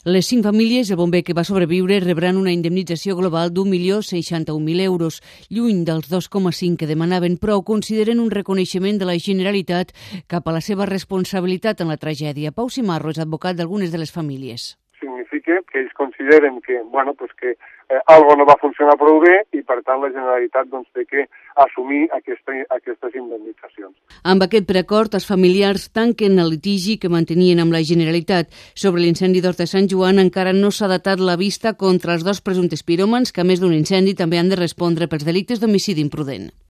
Les 5 famílies, el bomber que va sobreviure, rebran una indemnització global d'1.061.000 euros, lluny dels 2,5 que demanaven, però ho consideren un reconeixement de la Generalitat cap a la seva responsabilitat en la tragèdia. Pau Simarro és advocat d'algunes de les famílies. Significa que ells consideren que, algo no va funcionar prou bé i, per tant, la Generalitat té que assumir aquestes indemnitzacions. Amb aquest preacord, els familiars tanquen el litigi que mantenien amb la Generalitat. Sobre l'incendi d'Horta de Sant Joan encara no s'ha datat la vista contra els 2 presumptes piròmans que, a més d'un incendi, també han de respondre pels delictes d'homicidi imprudent.